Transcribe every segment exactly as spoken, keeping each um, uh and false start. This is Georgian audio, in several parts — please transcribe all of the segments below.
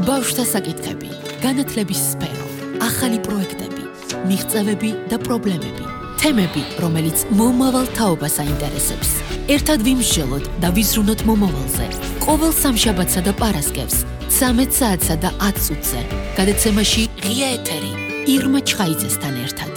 ბავშვთა საკითხები, განათლების სფერო, ახალი პროექტები, მიღწევები და პრობლემები, თემები, რომელიც მომავალ თაობას აინტერესებს. ერთად ვიმსჯელოთ და ვიზრუნოთ მომავალზე. ყოველ სამშაბათსა და პარასკევს, ცამეტ საათსა და ათ წუთზე. გადაცემაში ღია ეთერი, ირმა ჩხაიძესთან ერთად.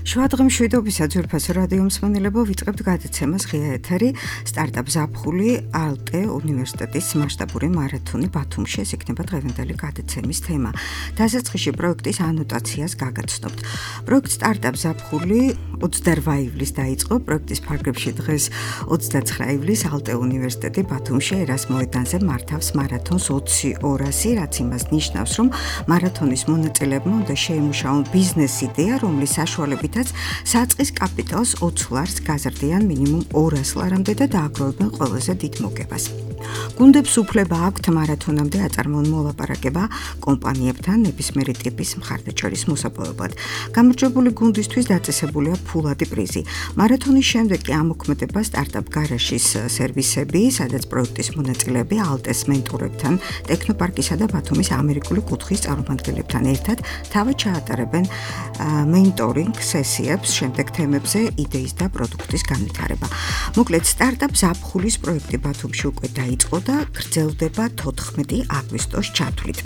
შვადღემ შვიდობისა ძვირფასო რადიო მსმენელებო, ვიწყებთ გადაცემას ღია ეთერი სტარტაპ ზაფხული ალტე უნივერსიტეტის მასშტაბური მარათონი ბათუმში. ეს იქნება დღევანდელი გადაცემის თემა. დასაწყისში პროექტის ანოტაციას გაგაცნობთ. პროექტ სტარტაპ ზაფხული ოცდაორი ივლისს დაიწყო. პროექტის ფარგლებში დღეს ოცდაცხრა ივლისს ალტე უნივერსიტეტი ბათუმში ერას მოედანზე მართავს მარათონს ოცი ორასი, რაც იმას ნიშნავს, რომ მარათონის მონაწილეებმა უნდა შეიმუშაონ ბიზნეს იდეა, რომლის საშუალებით საწყის კაპიტალს ოცი ლარს გაზრდიან მინიმუმ ორას ლარამდე და დააგროვებენ ყველაზე დიდ მოგებას. გუნდებს უფლება აქვთ მარათონამდე აწარმოონ მოლაპარაკება კომპანიებთან ნებისმიერი ტიპის მხარდაჭერის მოსაპოვებლად. გამარჯვებული გუნდისთვის დაწესებულია ფულადი პრიზი. მარათონის შემდეგ კი ამოქმედება სტარტაპ გარაჟის სერვისები, სადაც პროექტის მონაწილეები ალტეს მენტორებთან, ტექნოპარკისა და ბათუმის ამერიკული კუთხის წარმომადგენლებთან ერთად თავად ჩაატარებენ მენტორინგ სესიებს შემდეგ თემებზე იდეის და პროდუქტის განვითარება. მოკლედ, სტარტაპ ზაფხულის პროექტი ბათუმში უკვე დაიწყო და გრძელდება თოთხმეტი აგვისტოს ჩათვლით.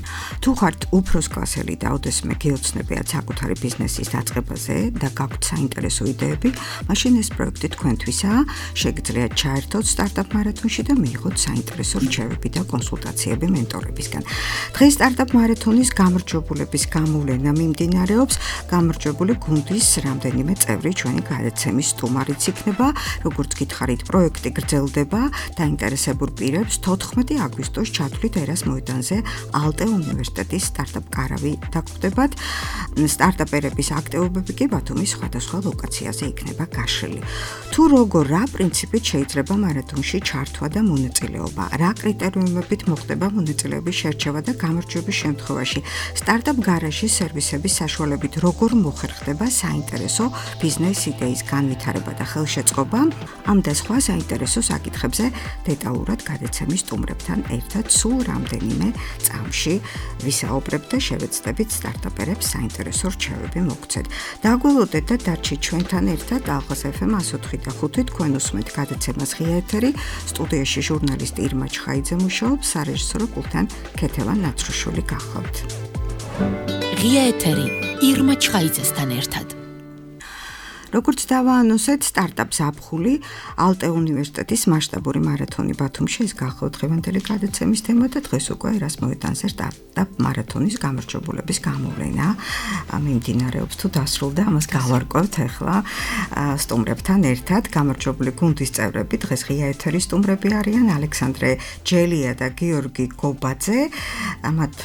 თუ ხართ უფროსკლასელი და ოდესმე გეოცნებიათ საკუთარი ბიზნესის დაწყებაზე და გაქვთ საინტერესო იდეები, მაშინ ეს პროექტი თქვენთვისაა. შეგიძლიათ ჩაერთოთ სტარტაპ მარათონში და მიიღოთ საინტერესო რჩევები და კონსულტაციები მენტორებისგან. დღეს სტარტაპ მარათონის გამარჯვებულების გამოვლენა მიმდინარეობს. გამარჯვებული გუნდის რამდენიმე წევრი ჩვენი გადაცემის სტუმარიც იქნება. როგორც გითხარით, პროექტი გრძელდება, დაინტერესებულ პირებს თოთხმეტი აგვისტოს ჩათვლით ერას მოედანზე ალტე უნივერსიტეტის სტარტაპ კარავი დაგვხვდებათ. სტარტაპერების აქტივობები კი ბათუმის სხვადასხვა ლოკაციაზე იქნება გაშლილი. თუ როგორ რა პრინციპით შეიძლება მარათონში ჩართვა და მონაწილეობა, რა კრიტერიუმებით მოხდება მონაწილეობის შერჩევა და გამარჯვების შემთხვევაში სტარტაპ გარაჟის სერვისების საშუალებით როგორ მოხერხდება საინტერესო ბიზნეს იდეის განვითარება და ხელშეწყობა, ამ და სხვა საინტერესო საკითხებზე დეტალურად გადაცემის სტუმრებთან ერთად სულ რამდენიმე წამში ვისაუბრებთ და შევეცდებით სტარტაპერებს საინტერესო რჩევები მოგცეთ. დაგველოდეთ და დარჩით ჩვენთან ერთად ალღას ეფ ემ εκατო ოთხი და ხუთი. თქვენ უსმენთ გადაცემას ღია ეთერი. სტუდიაში ჟურნალისტი ირმა ჩხაიძე მუშაობს, სარეჟისორო პულტთან ქეთევან ნაცრუშვილი გახლავთ. ღია ეთერი ირმა ჩხაიძესთან ერთად. როგორც დავაანონსეთ, სტარტაპ ზაფხული ალტე უნივერსიტეტის მასშტაბური მარათონი ბათუმში ეს გახლავთ დღევანდელი გადაცემის თემა და დღეს უკვე ერას მოედანზე სტარტაპ მარათონის გამარჯვებულების გამოვლენა მიმდინარეობს. თუ დასრულდა, ამას გავარკვევთ ახლა სტუმრებთან ერთად. გამარჯვებული გუნდის წევრები დღეს ღია ეთერის სტუმრები არიან ალექსანდრე ჯელია და გიორგი გობაძე. ამათ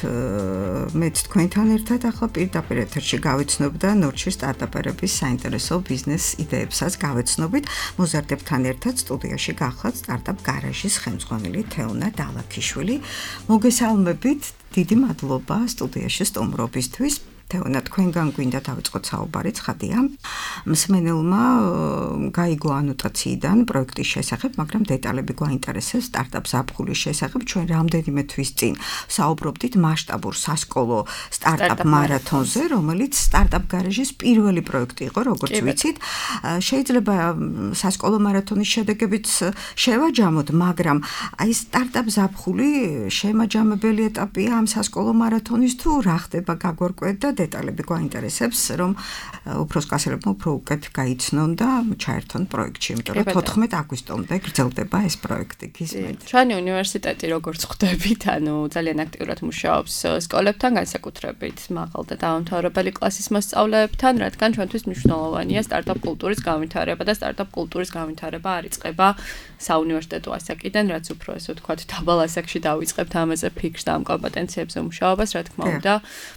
მეც თქვენთან ერთად ახლა პირდაპირ ეთერში გავიცნობ და ნორჩი სტარტაპერების საინტერესო ბიზნეს იდეებსაც გავეცნობით. მოზარდებთან ერთად სტუდიაში გახლავთ სტარტაპ გარაჟის ხელმძღვანელი თეონა დალაქიშვილი. მოგესალმებით, დიდი მადლობა სტუდიაში სტუმრობისთვის. თეონა, თქვენგან გვინდა დავიწყოთ საუბარი, ცხადია. მსმენელმა გაიგო ანოტაციიდან პროექტის შესახებ, მაგრამ დეტალები გვაინტერესებს სტარტაპ ზაფხულის შესახებ. ჩვენ რამდენიმე თვის წინ საუბრობდით მასშტაბურ სასკოლო სტარტაპ მარათონზე, რომელიც სტარტაპ გარაჟის პირველი პროექტი იყო, როგორც ვიცით. შეიძლება სასკოლო მარათონის შედეგებიც შევაჯამოთ, მაგრამ აი სტარტაპ ზაფხული შემაჯამებელი ეტაპია ამ სასკოლო მარათონის თუ რა ხდება გაგვარკვევთ და დეტალები გვაინტერესებს, რომ უფროსკლასელებმა უფრო უკეთ გაიცნონ და ჩაერთონ პროექტში, იმიტომ რომ თოთხმეტი აგვისტომდე გრძელდება ეს პროექტი. გისმენთ? ჩვენი უნივერსიტეტი როგორც ხვდებით, ანუ ძალიან აქტიურად მუშაობს სკოლებთან, განსაკუთრებით მაღალ და დაუმთავრებელი კლასის მოსწავლეებთან, რადგან ჩვენთვის მნიშვნელოვანია სტარტაპ კულტურის განვითარება და სტარტაპ კულტურის განვითარება არ იწყება საუნივერსიტეტო ასაკიდან, რაც უფრო ესე ვთქვათ, დაბალ ასაკში დავიწყებთ ამაზე ფიქრს და ამ კომპეტენციებზე მუშაობას, რა თქმა უნდა,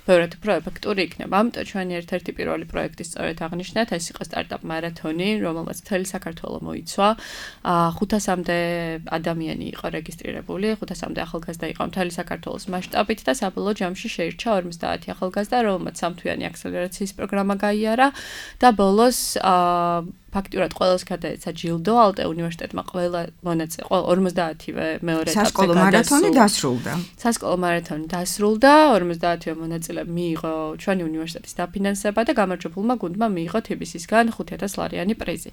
ბევრად უფრო ეფექტური იქნება. ამიტომ ჩვენი ერთ-ერთი პირველი პროექტი სწორედ აღნიშნეთ, ეს იყო სტარტაპ მარათონი, რომელმაც მთელი საქართველო მოიცვა. ხუთასამდე ადამიანი იყო რეგისტრირებული, ხუთასამდე ახალგაზრდა იყო მთელი საქართველოს მასშტაბით და საბოლოო ჯამში შეირჩა ორმოცდაათი ახალგაზრდა, რომელმაც სამთვიანი აქსელერაციის პროგრამა გაიარა და ბოლოს ფაქტურად ყველას გადაეცა ჯილდო ალტე უნივერსიტეტმა ყველა მონაწილე ყველა ორმოცდაათივე მეორე ეტაპზე სასკოლო მარათონი დასრულდა. სასკოლო მარათონი დასრულდა, ორმოცდაათივე მონაწილე მიიღო ჩვენი უნივერსიტეტის დაფინანსება და გამარჯვებულმა გუნდმა მიიღო თბილისისგან ხუთი ათას ლარიანი პრიზი.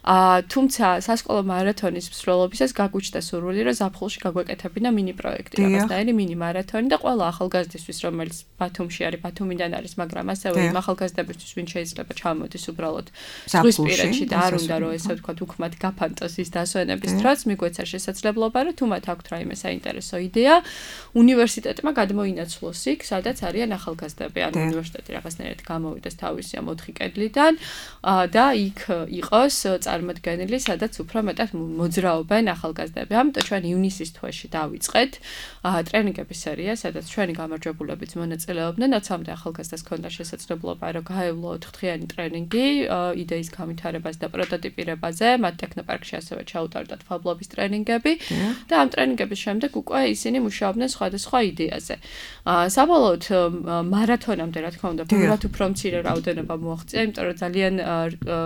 აა თუმცა სასკოლო მარათონის მსვლელობისას გაგვიჩნდა სურვილი, რომ ზაფხულში გაგვეკეთებინა მინი პროექტი, რაღაცნაირი მინი მარათონი და ყველა ახალგაზრდისთვის, რომელიც ბათუმში არის, ბათუმიდან არის, მაგრამ ასევე იმ ახალგაზრდებისთვის, ვინც შეიძლება ჩამოდის უბრალოდ ზღვისპირეთში და არ უნდა რომ ესე ვთქვათ უქმად გაფანტოს ის დასვენების დროც, მიგვეცა შესაძლებლობა, რომ თუ მათ აქვთ რაიმე საინტერესო იდეა, უნივერსიტეტმა გადმოინაცვლოს იქ, სადაც არიან ახალგაზრდები, ანუ უნივერსიტეტი რაღაცნაირად გამოვიდეს თავისი ამ ოთხი კედლიდან და იქ იყოს წარმოდგენილი, სადაც უფრო მეტად მოძრაობენ ახალგაზრდები. ამიტომ ჩვენ ივნისის თვეში დავიწყეთ ტრენინგების სერია, სადაც ჩვენი გამარჯვებულებიც მონაწილეობდნენ, ოცამდე ახალგაზრდას ჰქონდა შესაძლებლობა, რომ გაევლო ოთხდღიანი ტრენინგი იდეის განვითარებას და პროტოტიპირებაზე, მათ ტექნოპარკში ასევე ჩაუტარდათ ფაბლობის ტრენინგები და ამ ტრენინგების შემდეგ უკვე ისინი მუშაობდნენ სხვადასხვა იდეაზე. საბოლოოდ მარათონამდე, რა თქმა უნდა, ბევრად უფრო მცირე რაოდენობა მოაღწია, იმიტომ რომ ძალიან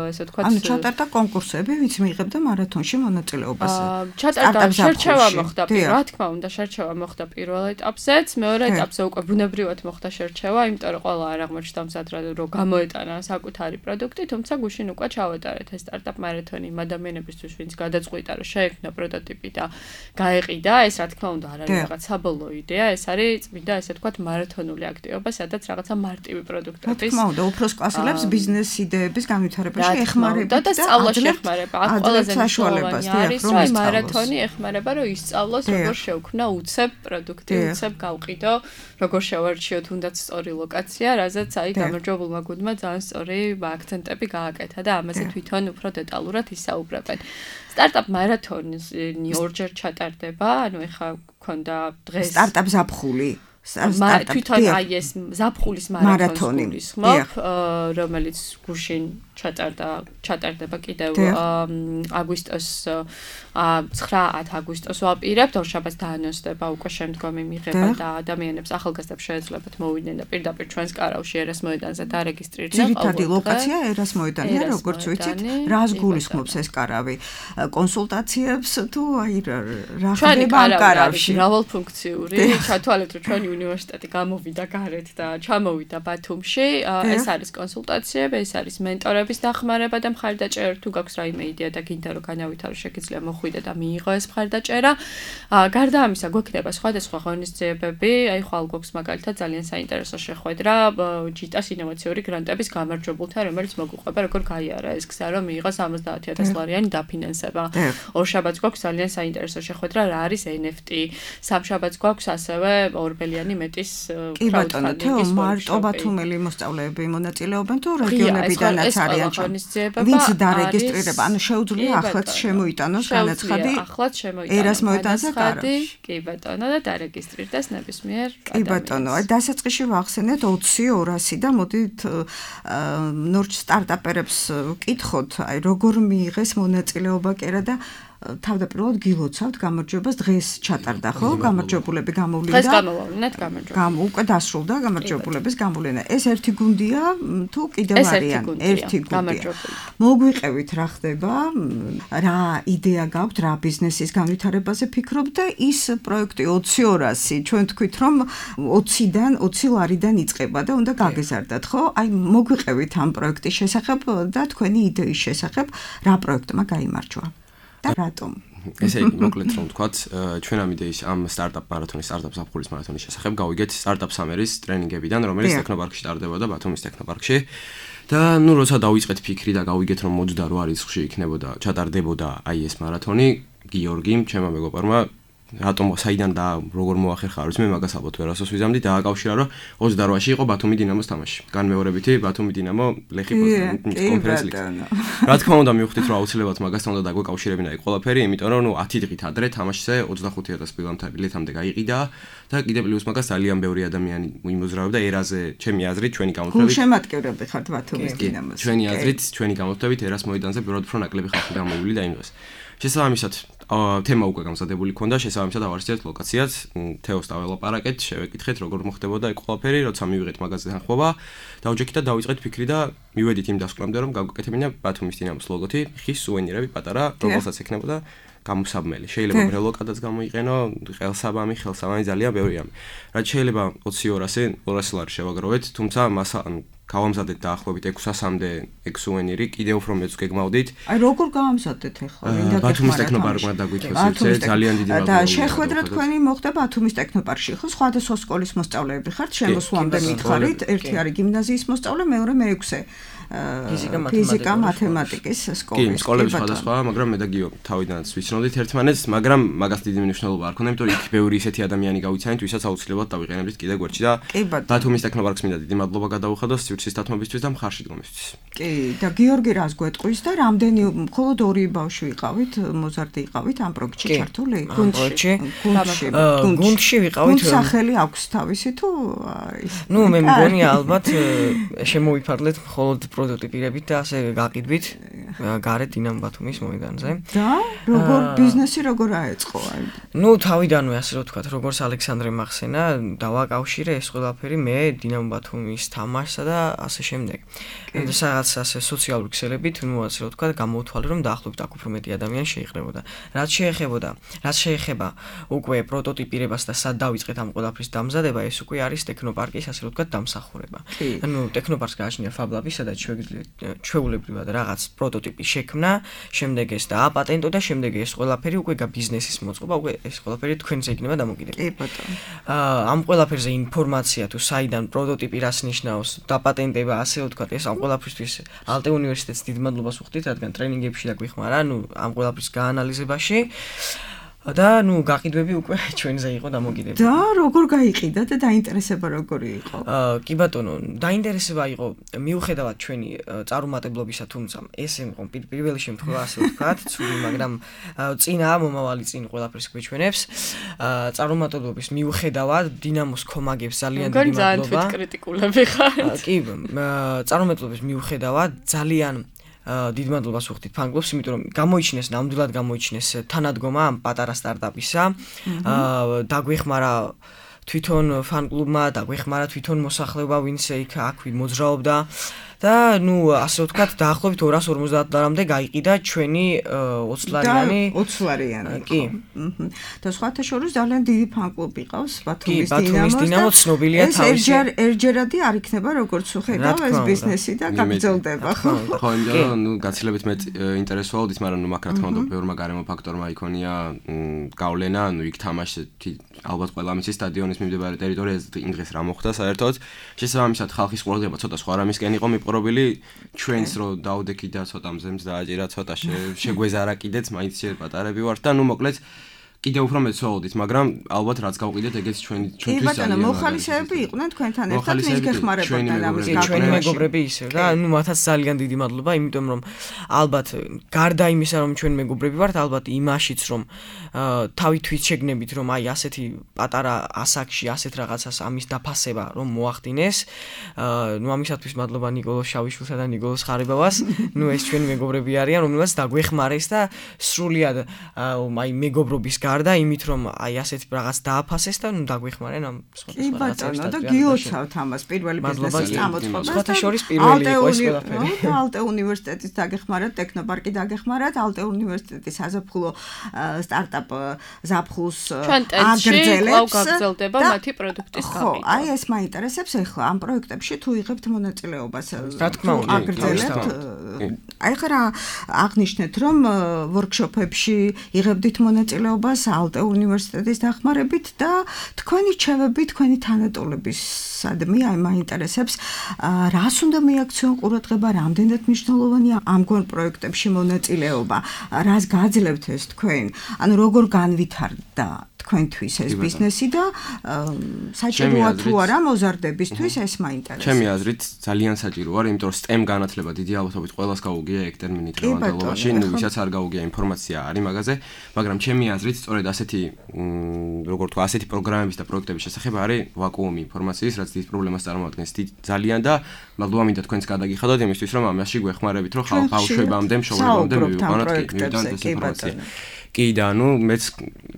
ესე ვთქვათ, ანუ ჩატარდა კონკურსები, ვინც მიიღებდა მარათონში მონაწილეობას. ჩატარდა შერჩევა მოხდა, რა თქმა უნდა, შერჩევა მოხდა პირველ ეტაპზეც, მეორე ეტაპზე უკვე ბუნებრივად მოხდა შერჩევა, იმიტომ რომ ყველა არ აღმოჩნდა მზად რომ გამოეტანა საკუთარი პროდუქტი, თუმცა გუშინ უკვე ჩავატარეთ ეს სტარტაპ მარათონი იმ ადამიანებისთვის, ვინც გადაწყვიტა, რომ შეექმნა პროტოტიპი და გაეყიდა, ეს რა თქმა უნდა არ არის რაღაც საბოლოო იდეა, ეს არის წმინდა ესე ვთქვათ მარათონული აქტივობა, სადაც რაღაცა მარტივი პროდუქტების. რა თქმა უნდა, უფროს კლასელებს ბიზნეს იდეების განვითარებაში ეხმარება და სწავლაში ეხმარება. აქ ყველაზე მნიშვნელოვანი არის, რომ მარათონი ეხმარება, რომ ისწავლოს როგორ შეუქმნა უცებ პროდუქტი, უცებ გავყიდო, როგორ შევარჩიო თუნდაც სწორი ლოკაცია, რაზეც აი გამარჯვებულმა გუნდმა ძალიან სწორი აქცენტები გააკეთა და ამაზე თვითონ უფრო დეტალურად ისაუბრებენ. სტარტაპ მარათონი ორჯერ ჩატარდება, ანუ ეხა გქონდა დღეს სტარტაპ ზაფხული. თვითონ აი ეს ზაფხულის მარათონი გულისხმობ, რომელიც გუშინ ჩატარდა, ჩატარდება კიდევ აგვისტოს ცხრა ათ აგვისტოს ვაპირებთ, ორშაბათს დაანონსდება უკვე შემდგომი მიღება და ადამიანებს ახალგაზრდებს შეეძლებათ მოვიდნენ და პირდაპირ ჩვენს კარავში ერას მოედანზე დარეგისტრირდნენ. ძირითადი ლოკაცია ერას მოედანია, როგორც ვიცით, რას გულისხმობს ეს კარავი? კონსულტაციებს თუ აი რა ხდება ამ კარავში? მრავალფუნქციური, ჩათვალეთ რომ ჩვენი უნივერსიტეტი გამოვიდა გარეთ და ჩამოვიდა ბათუმში, ეს არის კონსულტაციები, ეს არის მენტორების დახმარება და მხარდაჭერა, თუ გაქვს რაიმე იდეა და გინდა რომ განავითარო, შეგიძლია მოხვიდე და მიიღო ეს მხარდაჭერა. გარდა ამისა, გვექნება სხვადასხვა ღონისძიებები, აი ხვალ გვაქვს მაგალითად ძალიან საინტერესო შეხვედრა ჯიტას ინოვაციური გრანტების გამარჯვებულთან, რომელიც მოგვიყვება როგორ გაიარა ეს გზა, რომ მიიღოს ორმოცდაათი ათას ლარიანი დაფინანსება. ორშაბათს გვაქვს ძალიან საინტერესო შეხვედრა, რა არის ენ ეფ ტი. სამშაბათს გვაქვს ასევე ორბელიანი მეტის crowdfunding-ის მარტო ბათუმელი მოსწავლეები მონაწილეობენ თუ რეგიონებიდანაც არიან ღონისძიება. ვინც დარეგისტრირება, ანუ შეუძლია ახლაც შემოიტანოს განაცხადი ახლაც შემოიტანოს ერას მოედანზე კარავში. კი ბატონო და დარეგისტრირდეს ნებისმიერ ადამიანს. კი ბატონო, აი დასაწყისში ვახსენეთ ოცი ორასი და მოდით ნორჩ სტარტაპერებს ვკითხოთ, აი როგორ მიიღეს მონაწილეობა კერა და თავდაპირველად გილოცავთ გამარჯვებას დღეს ჩატარდა ხო? გამარჯვებულები გამოვლინდა. დღეს გამოვავლინეთ გამარჯვებულები. გამო უკვე დასრულდა გამარჯვებულების გამოვლენა. ეს ერთი გუნდია თუ კიდევ არიან? ერთი გუნდია. მოგვიყევით რა ხდება? რა იდეა გაქვთ, რა ბიზნესის განვითარებაზე ფიქრობთ და ის პროექტი ოცი ორასი ჩვენ თქვით რომ ოციდან ოცი ლარიდან იწყება და უნდა გაგეზარდათ ხო? აი მოგვიყევით ამ პროექტის შესახებ და თქვენი იდეის შესახებ რა პროექტმა გაიმარჯვა? და რატომ? ესე იგი, მოკლედ რომ ვთქვათ, ჩვენ ამ იდეის ამ სტარტაპ მარათონის, სტარტაპ ზაფხულის მარათონის შესახებ გავიგეთ სტარტაპ სამერის ტრენინგებიდან, რომელიც ტექნოპარკში ტარდებოდა ბათუმის ტექნოპარკში. და ნუ როცა დავიწყეთ ფიქრი და გავიგეთ რომ ოცდაოთხ რიცხვში იქნებოდა, ჩატარდებოდა აი ეს მარათონი, გიორგიმ, ჩემმა მეგობარმა რატომ საიდან და როგორ მოახერხა არის მე მაგას ალბათ ვერასოს ვიზამდი დააკავშირა რომ ოცდაოთხში იყო ბათუმი დინამოს თამაში. განმეორებითი ბათუმი დინამო ლეხი კონფერენცი ლიგა. რა თქმა უნდა მივხვდით რომ აუცილებლად მაგასთან უნდა დაგვეკავშირებინა იქ ყველაფერი, იმიტომ რომ ნუ ათი დღით ადრე თამაშზე ოცდახუთი ათას ბილეთამდე გაიყიდა და კიდევ პლუს მაგას ძალიან ბევრი ადამიანი იმოზრაობდა ერაზე, ჩემი აზრით, ჩვენი გამოთვლებით. გულშემატკივრები ხართ ბათუმის დინამოს. ჩვენი აზრით, ჩვენი გამოთვლებით ერას მოედანზე ბევრად უფრო ნაკლები ხალხი გამოვიდა იმ დღეს. შესაბამისად თემა უკვე გამზადებული ქონდა, შესაბამისად ავარჩიეთ ლოკაციაც, თეოს დაველაპარაკეთ, შევეკითხეთ როგორ მოხდებოდა ეგ ყველაფერი, როცა მივიღეთ მაგაზე თანხმობა, დავჯექით და დავიწყეთ ფიქრი და მივედით იმ დასკვნამდე, რომ გავგაკეთებინა ბათუმის დინამოს ლოგოთი, ხის სუვენირები პატარა, რომელსაც ექნებოდა გამოსაბმელი. შეიძლება ბრელოკადაც გამოიყენო, ხელსაბამი, ხელსაბამი ძალიან ბევრია. რაც შეიძლება ოცი ორასი ლარი შევაგროვეთ, თუმცა მას ანუ გავამზადეთ დაახლოებით ექვსასამდე ეგ სუვენირი, კიდევ უფრო მეც გეგმავდით. აი როგორ გავამზადეთ ახლა? ბათუმის ტექნოპარკმა დაგვითვალისწინეთ, ძალიან დიდი მადლობა. და შეხვედრა თქვენი მოხდა ბათუმის ტექნოპარკში, ხო? სხვადასხვა სკოლის მოსწავლეები ხართ, შემოსვლამდე მითხარით, ერთი არის გიმნაზიის მოსწავლე, მეორე მეექვსე. ფიზიკა, მათემატიკის სკოლის. კი, სკოლები სხვადასხვაა, მაგრამ მე და გიო თავიდანაც ვიცნობდით ერთმანეთს, მაგრამ მაგას დიდი მნიშვნელობა არ ქონდა, იმიტომ რომ იქ ბევრი ისეთი ადამიანი გავიცანით, ვისაც აუცილებლად დავიყენებდით კიდე გვერდში და ბათუმის ტექნოპარკს მინდა დიდი მადლობა გადაუხადო სივრცის დათმობისთვის და მხარში დგომისთვის. კი, და გიორგი რას გვეტყვის და რამდენი მხოლოდ ორი ბავშვი ვიყავით, მოზარდი იყავით ამ პროექტში ჩართული? გუნდში. გუნდში. გუნდში ვიყავით. სახელი აქვს თავისი თუ ის? ნუ მე მგონია ალბათ შემოვიფარლეთ მხოლოდ პროტოტიპირებით და ასე გაყიდვით გარეთ დინამო ბათუმის მოედანზე. და როგორ ბიზნესი როგორ აეწყო? ნუ თავიდანვე ასე რომ ვთქვათ, როგორც ალექსანდრე მახსენა, დავაკავშირე ეს ყველაფერი მე დინამო ბათუმის თამაშსა და ასე შემდეგ. და სადაც ასე სოციალური ქსელებით, ნუ ასე რომ ვთქვათ, გამოვთვალე რომ დაახლოებით აქ უფრო მეტი ადამიანი შეიხრებოდა. რაც შეეხებოდა, რაც შეეხება უკვე პროტოტიპირებას და სად დავიწყეთ ამ ყველაფრის დამზადება, ეს უკვე არის ტექნოპარკის ასე რომ ვთქვათ დამსახურება. ანუ ტექნოპარკს გააჩნია ფაბლაბი, სადაც ჩვეულებრივად რაღაც პროტოტიპი შექმნა, შემდეგ ეს დააპატენტო და შემდეგ ეს ყველაფერი უკვე გაბიზნესის მოწყობა, უკვე ეს ყველაფერი თქვენზე იქნება დამოკიდებული. კი ბატონო. აა ამ ყველაფერზე ინფორმაცია თუ საიდან პროტოტიპი რას ნიშნავს, დაპატენტება, ასე ვთქვათ, ეს ამ ყველაფრისთვის ალტე უნივერსიტეტს დიდ მადლობას ვუხდით, რადგან ტრენინგებში დაგვიხმარა, ანუ ამ ყველაფრის გაანალიზებაში. და ნუ გაყიდვები უკვე ჩვენზე იყო დამოკიდებული. და როგორ გაიყიდა და დაინტერესება როგორი იყო? აა კი ბატონო, დაინტერესება იყო მიუხედავად ჩვენი წარუმატებლობისა, თუმცა ესე იყო პირველი შემთხვევა ასე ვთქვათ, ცუდი, მაგრამ წინაა მომავალი წინ ყველაფერს გვეჩვენებს. აა წარუმატებლობის მიუხედავად დინამოს კომაგებს ძალიან დიდი მადლობა. ძალიან თვით კრიტიკულები ხართ. კი, წარუმატებლობის მიუხედავად ძალიან დიდ მადლობას ვუხდით ფანგლობს, იმიტომ რომ გამოიჩინეს, ნამდვილად გამოიჩინეს თანადგომა ამ პატარა სტარტაპისა. აა დაგვეხმარა თვითონ ფანკლუბმა, დაგვეხმარა თვითონ მოსახლეობა, ვინც იქ აქვე მოძრაობდა. და ნუ ასე ვთქვათ, დაახლოებით ორას ორმოცდაათ ლარამდე გაიყიდა ჩვენი ოცი ლარიანი. ოცი ლარიანი. კი. და სხვათა შორის ძალიან დიდი ფანკლუბი ყავს ბათუმის დინამოს. ბათუმის დინამო ცნობილია თავისი. ეს ერჯერადი არ იქნება როგორც უხედავ ეს ბიზნესი და გაგრძელდება, ხო? ხო, იმიტომ ნუ გაცილებით მე ინტერესს ვაუდით, მაგრამ ნუ მაგ რა თქმა უნდა ბევრმა გარემო ფაქტორმა იქონია გავლენა, ნუ იქ თამაში ალბათ ყველა მის სტადიონის მიმდებარე ტერიტორიაზე იმ დღეს რა მოხდა საერთოდ. შესაბამისად ხალხის ყურადღება ცოტა სხვა რამისკენ იყო მიპყრობილი, ჩვენს რო დაუდექით და ცოტა მზემს დააჭირა, ცოტა შეგვეზარა კიდეც, მაინც შე პატარები ვართ და ნუ მოკლედ კიდევ უფრო მეც ვაუდით, მაგრამ ალბათ რაც გავყიდეთ, ეგეც ჩვენი ჩვენთვის ძალიან მაგარია. მოხალისეები იყვნენ თქვენთან ერთად, ვინც გეხმარებოდნენ ამის გაკეთებაში. ჩვენი მეგობრები ისევ და ნუ მათაც ძალიან დიდი მადლობა, იმიტომ რომ ალბათ გარდა იმისა, რომ ჩვენ მეგობრები ვართ, ალბათ იმაშიც რომ თავი თვით შეგნებით, რომ აი ასეთი პატარა ასაკში ასეთ რაღაცას ამის დაფასება რომ მოახდინეს. ნუ ამისათვის მადლობა ნიკოლოზ შავიშვილსა და ნიკოლოზ ხარებავას. ნუ ეს ჩვენი მეგობრები არიან, რომელსაც დაგვეხმარეს და სრულიად აი მეგობრობის გარდა იმით რომ აი ასეთ რაღაც დააფასეს და ნუ დაგვეხმარენ ამ სხვა რაღაცებს და გიოცავთ ამას პირველი ბიზნესის წამოწყობას. სხვათა შორის პირველი იყო ეს ყველაფერი. ალტე უნივერსიტეტის დაგეხმარათ, ტექნოპარკი დაგეხმარათ, ალტე უნივერსიტეტის საზაფხულო სტარტაპ ზაფხულს აგრძელებს. გაგრძელდება მათი პროდუქტის გაყიდვა. ხო, აი ეს მაინტერესებს ახლა ამ პროექტებში თუ იღებთ მონაწილეობას. რა თქმა უნდა, აგრძელებთ. აი ხარა აღნიშნეთ რომ ვორქშოპებში იღებდით მონაწილეობას ალტე უნივერსიტეტის დახმარებით და თქვენი რჩევები, თქვენი თანატოლებისადმი აი მაინტერესებს რას უნდა მიაქციონ ყურადღება, რამდენად მნიშვნელოვანია ამგვარ პროექტებში მონაწილეობა, რას გააძლევთ ეს თქვენ, ანუ როგორ განვითარდა თქვენთვის ეს ბიზნესი და საჭიროა თუ არა მოზარდებისთვის ეს მაინტერესებს. ჩემი აზრით ძალიან საჭიროა, იმიტომ რომ STEM განათლება დიდი ალბათობით ყველას გაუგია ეგ ტერმინი დღევანდელობაში, ნუ ვისაც არ გაუგია ინფორმაცია არის მაგაზე, მაგრამ ჩემი აზრით სწორედ ასეთი როგორ თქვა, ასეთი პროგრამების და პროექტების შესახებ არის ვაკუუმი ინფორმაციის, რაც დიდ პრობლემას წარმოადგენს ძალიან და მადლობა მინდა თქვენს გადაგიხადოთ იმისთვის, რომ ამაში გვეხმარებით, რომ ხალხ ბავშვებამდე, მშობლებამდე მივიყვანოთ კი მივიდანოთ ეს ინფორმაცია. კი და ანუ მეც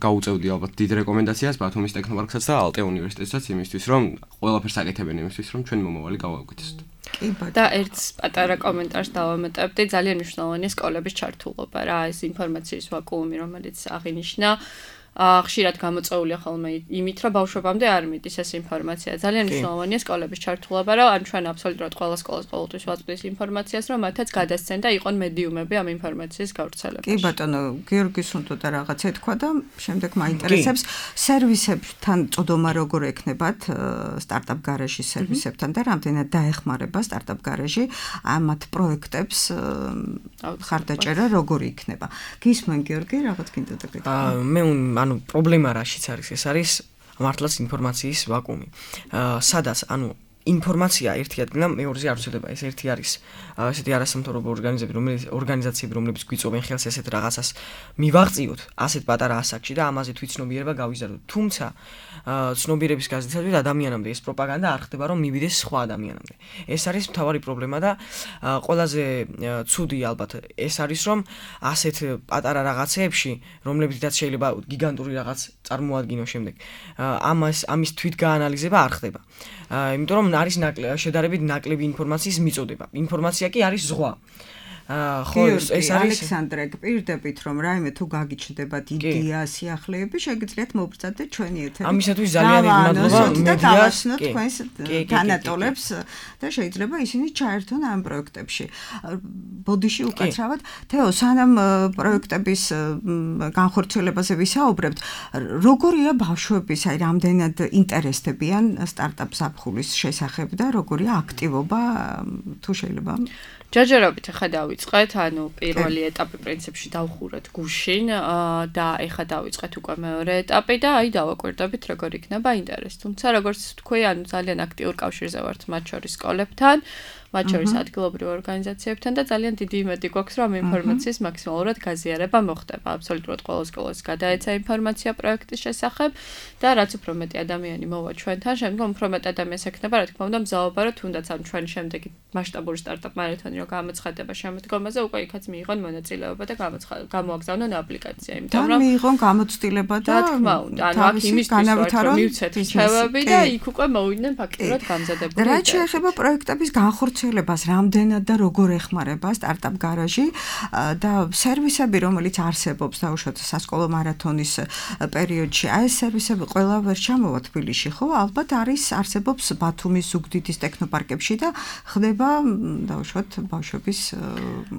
გაუწევდი ალბათ დიდ რეკომენდაციას ბათუმის ტექნოპარკსაც და ალტე უნივერსიტეტსაც იმისთვის რომ ყველაფერს აკეთებენ იმისთვის რომ ჩვენი მომავალი გავაგვითესოთ. კი ბატონო. და ერთ პატარა კომენტარს დავამატებდი, ძალიან მნიშვნელოვანია სკოლების ჩართულობა რა, ეს ინფორმაციის ვაკუუმი, რომელიც აღინიშნა ხშირად გამოწეულია ხოლმე იმით, რომ ბავშვობამდე არ მიდის ეს ინფორმაცია. ძალიან მნიშვნელოვანია სკოლების ჩართულობა, რომ ან ჩვენ აბსოლუტურად ყველა სკოლას ყოველთვის ვაწვდის ინფორმაციას, რომ მათაც გადასცენ და იყონ მედიუმები ამ ინფორმაციის გავრცელებაში. კი ბატონო, გიორგის უნდა რაღაცა თქვა და შემდეგ მაინტერესებს სერვისებთან წოდომა როგორ ექნებათ სტარტაპ გარაჟის სერვისებთან და რამდენად დაეხმარება სტარტაპ გარაჟი ამათ პროექტებს ხარდაჭერა როგორ იქნება. გისმენ გიორგი, რაღაც გინდა და გეტყვი. მე ანუ პრობლემა რაშიც არის ეს არის მართლაც ინფორმაციის ვაკუუმი. სადაც ანუ ინფორმაცია ერთი ადგილა მეორეზე არ ვცდება. ეს ერთი არის ესეთი არასამთავრობო ორგანიზაციები, რომელიც ორგანიზაციები, რომლებიც გვიწოვენ ხელს ესეთ რაღაცას მივაღწიოთ ასეთ პატარა ასაკში და ამაზე თვითცნობიერება გავიზარდოთ. თუმცა ცნობიერების გაზრდისათვის ადამიანამდე ეს პროპაგანდა არ ხდება, რომ მივიდეს სხვა ადამიანამდე. ეს არის მთავარი პრობლემა და ყველაზე ცუდი ალბათ ეს არის, რომ ასეთ პატარა რაღაცეებში, რომლებითაც შეიძლება გიგანტური რაღაც წარმოადგინოს შემდეგ, ამას ამის თვითგაანალიზება არ ხდება. იმიტომ რომ არის შედარებით ნაკლები ინფორმაციის მიწოდება. ინფორმაცია კი არის ზღვა. ხო ეს არის ალექსანდრე, გპირდებით რომ რაიმე თუ გაგიჩნდებათ იდეა, სიახლეები, შეგიძლიათ მოვბრძადეთ ჩვენი ეთერი. ამისათვის ძალიან მადლობა მედიას თქვენს თანატოლებს და შეიძლება ისინი ჩაერთონ ამ პროექტებში. ბოდიში უკაცრავად, თეო, სანამ პროექტების განხორციელებაზე ვისაუბრებთ, როგორია ბავშვების, აი რამდენად ინტერესდებიან სტარტაპ ზაფხულის შესახებ და როგორია აქტივობა, თუ შეიძლება ჯერჯერობით ახლა დავიწყეთ, ანუ პირველი ეტაპი პრინციპში დავხურეთ გუშინ და ახლა დავიწყეთ უკვე მეორე ეტაპი და აი დავაკვირდებით როგორ იქნება ინტერესი. თუმცა როგორც თქვი, ანუ ძალიან აქტიურ კავშირზე ვართ მათ შორის სკოლებთან, მათ შორის ადგილობრივ ორგანიზაციებთან და ძალიან დიდი იმედი გვაქვს, რომ ინფორმაციის მაქსიმალურად გაზიარება მოხდება. აბსოლუტურად ყველა სკოლას გადაეცა ინფორმაცია პროექტის შესახებ და რაც უფრო მეტი ადამიანი მოვა ჩვენთან, შემდგომ უფრო მეტ ადამიანს ექნება, რა თქმა უნდა, მზაობა, რომ თუნდაც ამ ჩვენ შემდეგი მასშტაბური სტარტაპ მარათონი რომ გამოცხადება შემდგომაზე, უკვე იქაც მიიღონ მონაწილეობა და გამოაგზავნონ აპლიკაცია, იმიტომ რომ მიიღონ გამოცდილება და რა თქმა უნდა, ანუ აქ იმისთვის რომ მივცეთ რჩევები და იქ უკვე მოვიდნენ ფაქტურად გამზადებული. რა შეეხება პროექტების განხორციელებას, რამდენად და როგორ ეხმარება სტარტაპ გარაჟი და სერვისები, რომელიც არსებობს დაუშვათ სასკოლო მარათონის პერიოდში, აი ეს სერვისები ყველა ვერ ჩამოვა თბილისში, ხო? ალბათ არის არსებობს ბათუმის ზუგდიდის ტექნოპარკებში და ხდება დაუშვათ ბავშვების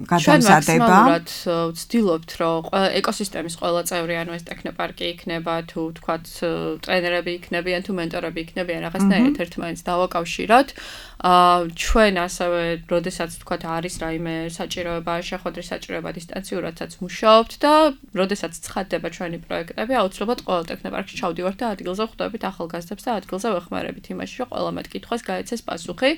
გადამზადება. ჩვენ მაქსიმალურად ვცდილობთ, რომ ეკოსისტემის ყველა წევრი, ანუ ეს ტექნოპარკი იქნება, თუ თქვათ ტრენერები იქნებიან, თუ მენტორები იქნებიან, რაღაცნაირად ერთმანეთს დავაკავშიროთ. ჩვენ ასევე, როდესაც თქვათ არის რაიმე საჭიროება, შეხვედრის საჭიროება დისტანციურადაც მუშაობთ და როდესაც ცხადდება ჩვენი პროექტები, აუცილებლად ყველა ტექნოპარკში ჩავდივართ და ადგილზე ხვდებით ახალგაზრდებს და ადგილზე ვეხმარებით იმაში, რომ ყველა მათ კითხვას გაეცეს პასუხი.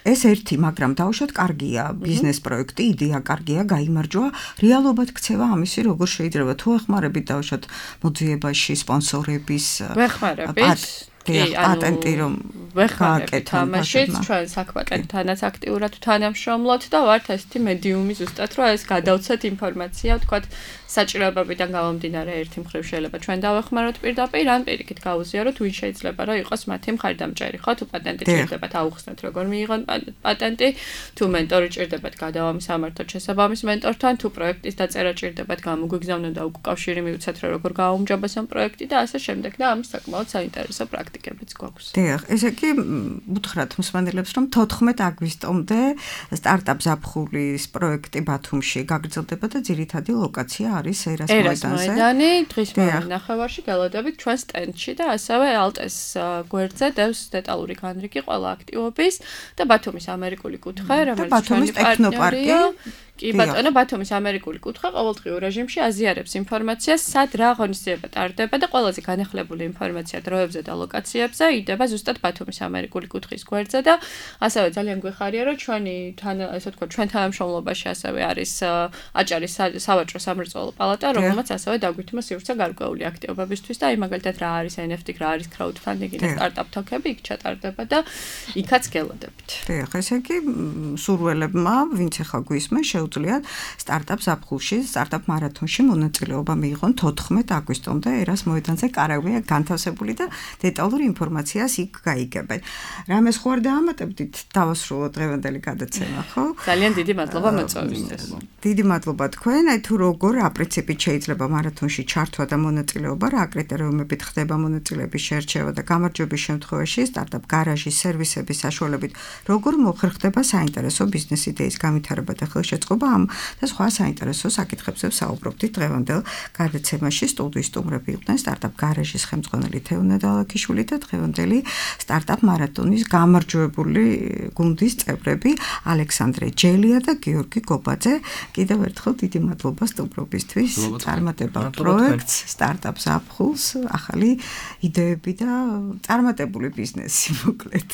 ეს ერთი, მაგრამ დავუშვათ კარგია, ბიზნეს პროექტი, იდეა კარგია, გაიმარჯვა, რეალობად ქცევა ამისი როგორ შეიძლება თუ ეხმარებით დავუშვათ მოძიებაში სპონსორების ვეხმარებით კი, პატენტი რომ ვეხმარებით ამაშიც, ჩვენ საქმე-პატენტთანაც აქტიურად თანამშრომლობთ და ვართ ესეთი მედიუმი ზუსტად, რომ ეს გადავცეთ ინფორმაცია, თქვათ საჭიროებებიდან გამომდინარე ერთი მხრივ შეიძლება ჩვენ დავეხმაროთ პირდაპირ, ან პირიქით გავუზიაროთ, ვინ შეიძლება რომ იყოს მათი მხარდამჭერი, ხო, თუ პატენტი ჭირდებათ აუხსნათ როგორ მიიღონ პატენტი, თუ მენტორი ჭირდებათ გადავამისამართოთ შესაბამის მენტორთან, თუ პროექტის დაწერა ჭირდებათ გამოგვიგზავნონ და უკავშირი მივცეთ რომ როგორ გააუმჯობესონ ამ პროექტი და ასე შემდეგ და ამის საკმაოდ საინტერესო პრაქტიკებიც გვაქვს. დიახ, ესე კი უთხრათ მსმენელებს რომ თოთხმეტ აგვისტომდე სტარტაპ ზაფხულის პროექტი ბათუმში გაგრძელდება და ძირითადი ლოკაცია არის ერას მოედანზე. ერასმოედანი, დღის ნახევარში გელოდებით ჩვენ სტენდში და ასევე ალტეს გვერდზე დევს დეტალური განრიგი ყველა აქტივობის და ბათუმის ამერიკული კუთხე, რომელიც ჩვენი პარტნიორია. კი ბატონო, ბათუმის ამერიკული კუთხე ყოველდღიურ რეჟიმში აზიარებს ინფორმაციას, სად რა ღონისძიება ტარდება და ყველაზე განახლებული ინფორმაცია დროებზე და ლოკაციებზე იდება ზუსტად ბათუმის ამერიკული კუთხის გვერდზე და ასევე ძალიან გვეხარია, რომ ჩვენი თან, ასე ვთქვათ, ჩვენ თანამშრომლობაში ასევე არის აჭარის სავაჭრო სამრეწველო პალატა, რომელმაც ასევე დაგვითმა სივრცე გარკვეული აქტივობებისთვის და აი მაგალითად რა არის ენ ეფ ტი, რა არის crowdfunding და სტარტაპ თოკები იქ ჩატარდება და იქაც გელოდებით. დიახ, ესე იგი სურველებმა, ვინც ახლა გვისმენს, შეუძლიათ სტარტაპ ზაფხულში, სტარტაპ მარათონში მონაწილეობა მიიღონ თოთხმეტ აგვისტომდე ერას მოედანზე კარავია განთავსებული და დეტალური ინფორმაციას იქ გაიგებენ. რამეს ხო არ დაამატებდით დავასრულოთ დღევანდელი გადაცემა, ხო? ძალიან დიდი მადლობა მოწვევისთვის. დიდი მადლობა თქვენ. აი თუ როგორ აპრინციპით შეიძლება მარათონში ჩართვა და მონაწილეობა, რა კრიტერიუმებით ხდება მონაწილეების შერჩევა და გამარჯვების შემთხვევაში სტარტაპ გარაჟის სერვისების საშუალებით როგორ მოხერხდება საინტერესო ბიზნეს იდეის განვითარება და ხელშეწყობა ამ და სხვა საინტერესო საკითხებზე საუბრობდით დღევანდელ გადაცემაში. სტუდიის სტუმრები იყვნენ სტარტაპ გარაჟის ხელმძღვანელი თეონა დალაქიშვილი და დღევანდელი სტარტაპ მარათონის გამარჯვებული გუნდის წევრები ალექსანდრე ჯელია და გიორგი გობაძე. კიდევ ერთხელ დიდი მადლობა სტუმრობისთვის. წარმატება პროექტს, სტარტაპ ზაფხულს, ახალი იდეები და წარმატებული ბიზნესი მოკლედ.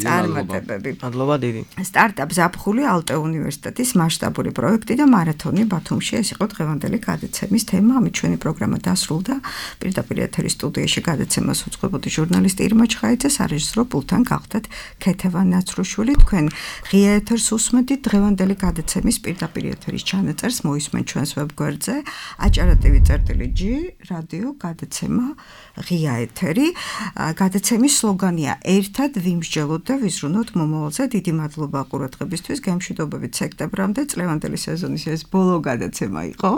წარმატებები. მადლობა დიდი. სტარტაპ ზაფხული ალტე უნივერსიტეტის მასშტაბური პროექტი და მარათონი ბათუმში ეს იყო დღევანდელი გადაცემის თემა. ამით ჩვენი პროგრამა დასრულდა. პირდაპირ ეთერის სტუდიაში გადაცემას უძღვებოდი ჟურნალისტი ირმა ჩხაიძე, სარეჟისორო პულტთან გახდათ ქეთევან ნაცრუშვილი. თქვენ ღია ეთერს უსმენთ დღევანდელი გადაცემის პირდაპირ ეთერის ჩანაწერს მოისმენთ ჩვენს ვებგვერდზე აჭარა ტივი წერტილი ჯი რადიო გადაცემა ღია ეთერი. გადაცემის სლოგანია ერთად ვიმსჯელოთ და ვიზრუნოთ მომავალზე. დიდი მადლობა ყურადღებისთვის. გემშვიდობებით სექტემბრამდე. წლევანდელი სეზონის ეს ბოლო გადაცემა იყო.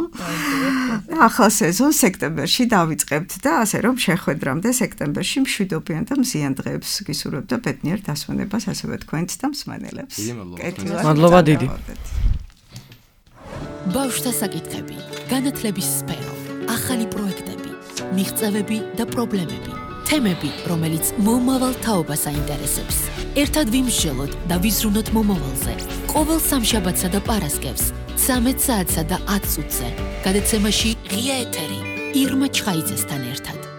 ახალ სეზონს სექტემბერში დავიწყებთ და ასე რომ შეხვედრამდე სექტემბერში მშვიდობიან და მზიან დღეებს გისურვებთ და ბედნიერ დასვენებას ასევე თქვენს და მსმენელებს. მადლობა დიდი. ბავშვთა საკითხები, განათლების სფერო, ახალი პროექტები, მიღწევები და პრობლემები, თემები, რომელიც მომავალ თაობას აინტერესებს. ერთად ვიმსჯელოთ და ვიზრუნოთ მომავალზე. ყოველ სამშაბათსა და პარასკევს, ცამეტ საათსა და ათ წუთზე. გადაცემაში ღია ეთერი ირმა ჩხაიძესთან ერთად.